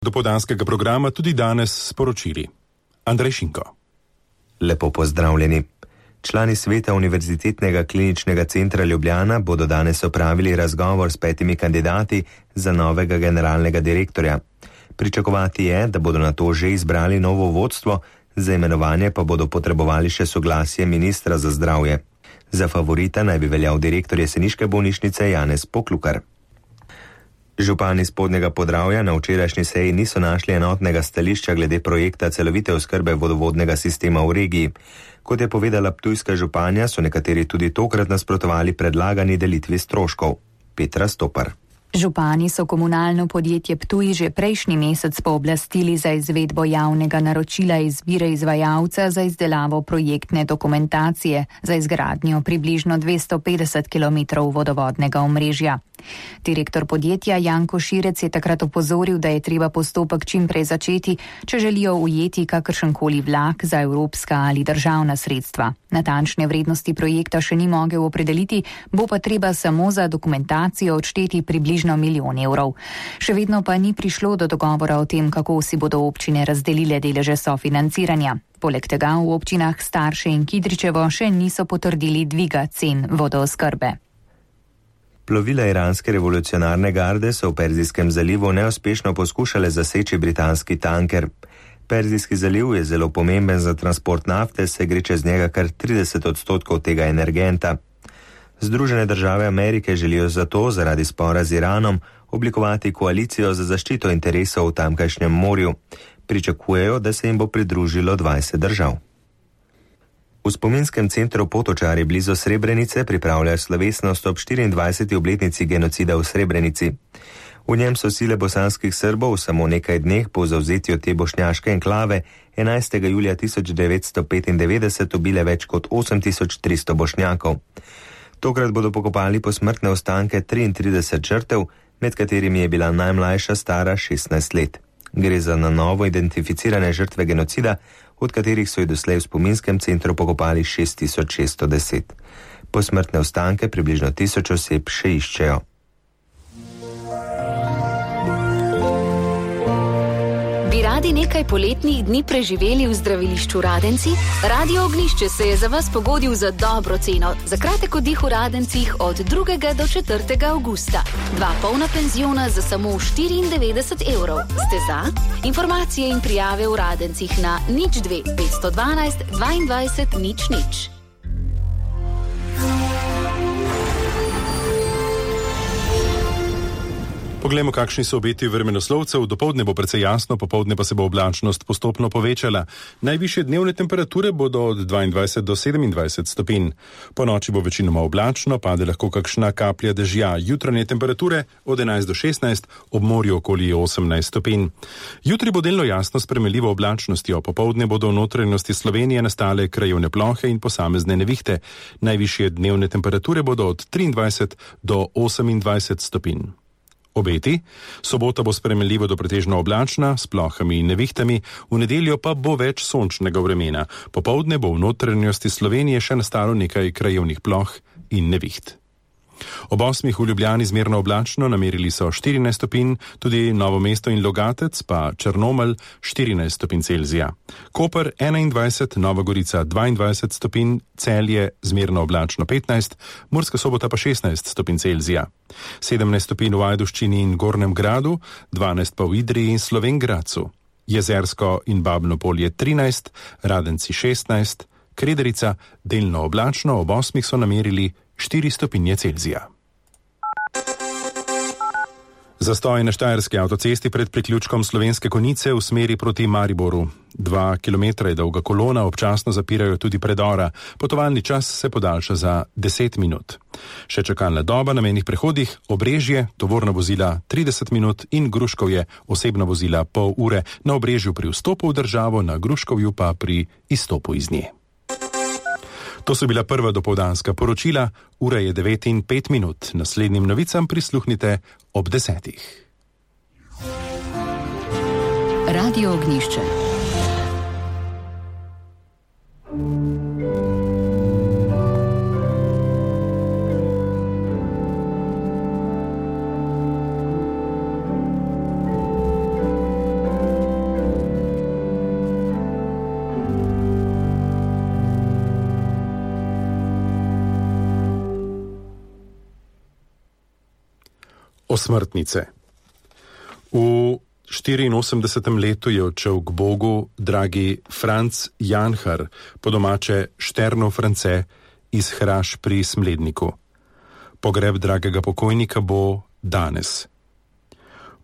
Dopoldanskega programa tudi danes sporočili. Andrej Šinko. Lepo pozdravljeni. Člani sveta Univerzitetnega kliničnega centra Ljubljana bodo danes opravili razgovor s 5 kandidati za novega generalnega direktorja. Pričakovati je, da bodo na to že izbrali novo vodstvo, za imenovanje pa bodo potrebovali še soglasje ministra za zdravje. Za favorita naj bi veljal direktor jeseniške bolnišnice Janez Poklukar. Župani Spodnjega Podravja na včerajšnji seji niso našli enotnega stališča glede projekta celovite oskrbe vodovodnega sistema v regiji. Kot je povedala ptujska županja, so nekateri tudi tokrat nasprotovali predlagani delitvi stroškov. Petra Stopar. Župani so komunalno podjetje Ptuj že prejšnji mesec pooblastili za izvedbo javnega naročila izbire izvajalca za izdelavo projektne dokumentacije za izgradnjo približno 250 km vodovodnega omrežja. Direktor podjetja Janko Širec je takrat opozoril, da je treba postopek čim prej začeti, če želijo ujeti kakršenkoli vlak za evropska ali državna sredstva. Natančne vrednosti projekta še ni mogel opredeliti, bo pa treba samo za dokumentacijo odšteti približno 1 milijon evrov. Še vedno pa ni prišlo do dogovora o tem, kako si bodo občine razdelile deleže sofinanciranja. Poleg tega v občinah Starše in Kidričevo še niso potrdili dviga cen vodooskrbe. Plovila iranske revolucionarne garde so v Perzijskem zalivu neuspešno poskušale zaseči britanski tanker. Perzijski zaliv je zelo pomemben za transport nafte, saj gre čez njega kar 30% tega energenta. Združene države Amerike želijo zato, zaradi spora z Iranom, oblikovati koalicijo za zaščito interesov v tamkajšnjem morju. Pričakujejo, da se jim bo pridružilo 20 držav. V spominskem centru Potočari blizu Srebrenice pripravljajo slovesnost ob 24. obletnici genocida v Srebrenici. V njem so sile bosanskih Srbov v samo nekaj dneh po zavzetju te bošnjaške enklave 11. julija 1995 ubile več kot 8300 bošnjakov. Tokrat bodo pokopali posmrtne ostanke 33 žrtev, med katerimi je bila najmlajša stara 16 let. Gre za na novo identificirane žrtve genocida, od katerih so jih doslej v spominskem centru pokopali 6610. Posmrtne ostanke približno 1000 oseb še iščejo. Bi radi nekaj poletnih dni preživeli v zdravilišču Radenci? Radio Ognjišče se je za vas pogodil za dobro ceno. Za kratek oddih v Radencih od 2. do 4. avgusta. 2 polna penziona za samo 94 evrov. Ste za? Informacije in prijave v Radencih na 02 512 22 00. Poglejmo, kakšni so obeti vremenoslovcev. Dopoldne bo precej jasno, popoldne pa se bo oblačnost postopno povečala. Najvišje dnevne temperature bodo od 22 do 27 stopinj. Po noči bo večinoma oblačno, pade lahko kakšna kaplja dežja. Jutranje temperature od 11 do 16, ob morju okoli 18 stopinj. Jutri bo delno jasno s premeljivo oblačnostjo. Popoldne bodo v notranjosti Slovenije nastale krajevne plohe in posamezne nevihte. Najvišje dnevne temperature bodo od 23 do 28 stopinj. Obeti. Sobota bo spremenljivo do pretežno oblačna, s plohami in nevihtami, v nedeljo pa bo več sončnega vremena. Popoldne bo v notranjosti Slovenije še nastalo nekaj krajevnih ploh in neviht. Ob 8 v Ljubljani zmerno oblačno, namerili so 14 stopinj, tudi Novo mesto in Logatec, pa Črnomelj 14 stopinj Celzija. Koper 21, Nova Gorica 22 stopinj, Celje zmerno oblačno 15, Murska Sobota pa 16 stopinj Celzija. 17 stopinj v Ajdovščini in Gornjem Gradu, 12 pa v Idriji in Slovenj Gradcu. Jezersko in Babno Polje 13, Radenci 16, Krederica delno oblačno, ob 8 so namerili 4 stopinje Celzija. Zastoj na štajerski avtocesti pred priključkom Slovenske Konjice v smeri proti Mariboru. 2 kilometra je dolga kolona, občasno zapirajo tudi predora. Potovalni čas se podaljša za 10 minut. Še čakalna doba na mejnih prehodih, Obrežje, tovorna vozila 30 minut in Gruškovje, osebna vozila pol ure. Na Obrežju pri vstopu v državo, na Gruškovju pa pri izstopu iz nje. To so bila prva dopoldanska poročila, ura je 9:05. Naslednjim novicam prisluhnite ob 10. Radio Ognjišče. Osmrtnice. V 84. letu je odšel k Bogu dragi Franc Janhar, po domače Šternov France iz Hraš pri Smledniku. Pogreb dragega pokojnika bo danes.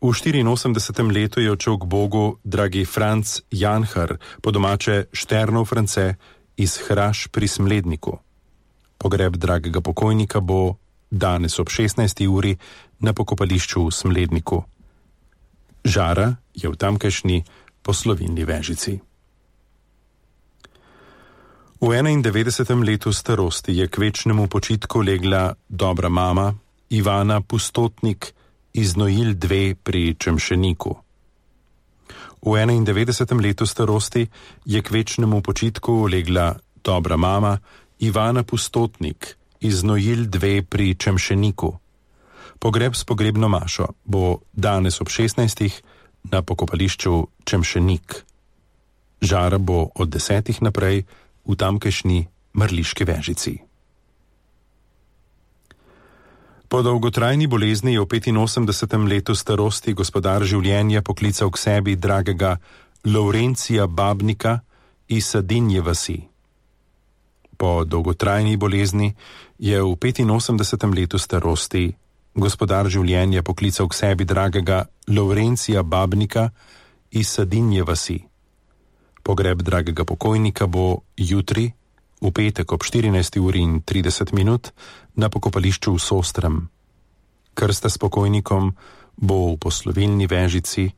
V 84. letu je odšel k Bogu dragi Franc Janhar, po domače Šternov France iz Hraš pri Smledniku. Pogreb dragega pokojnika bo danes ob 16. uri na pokopališču v Smledniku. Žara je v tamkajšnji Poslovilni Vežici. V 91. letu starosti je k večnemu počitku legla dobra mama Ivana Pustotnik iz Nojil 2 pri Čemšeniku. V 91. letu starosti je k večnemu počitku legla dobra mama Ivana Pustotnik iz Nojil 2 pri Čemšeniku. Pogreb s pogrebno mašo bo danes ob 16. na pokopališču Čemšenik. Žara bo od 10. naprej v tamkajšnji Mrliški Vežici. Po dolgotrajni bolezni je v 85. letu starosti gospodar življenja poklical k sebi dragega Lovrencija Babnika iz Sadinje vasi. Po dolgotrajni bolezni je v 85. letu starosti gospodar življenja poklical k sebi dragega Lovrencija Babnika iz Sadinje vasi. Pogreb dragega pokojnika bo jutri, v petek ob 14:30 na pokopališču v Sostrem. Krsta s pokojnikom bo v Poslovilni Vežici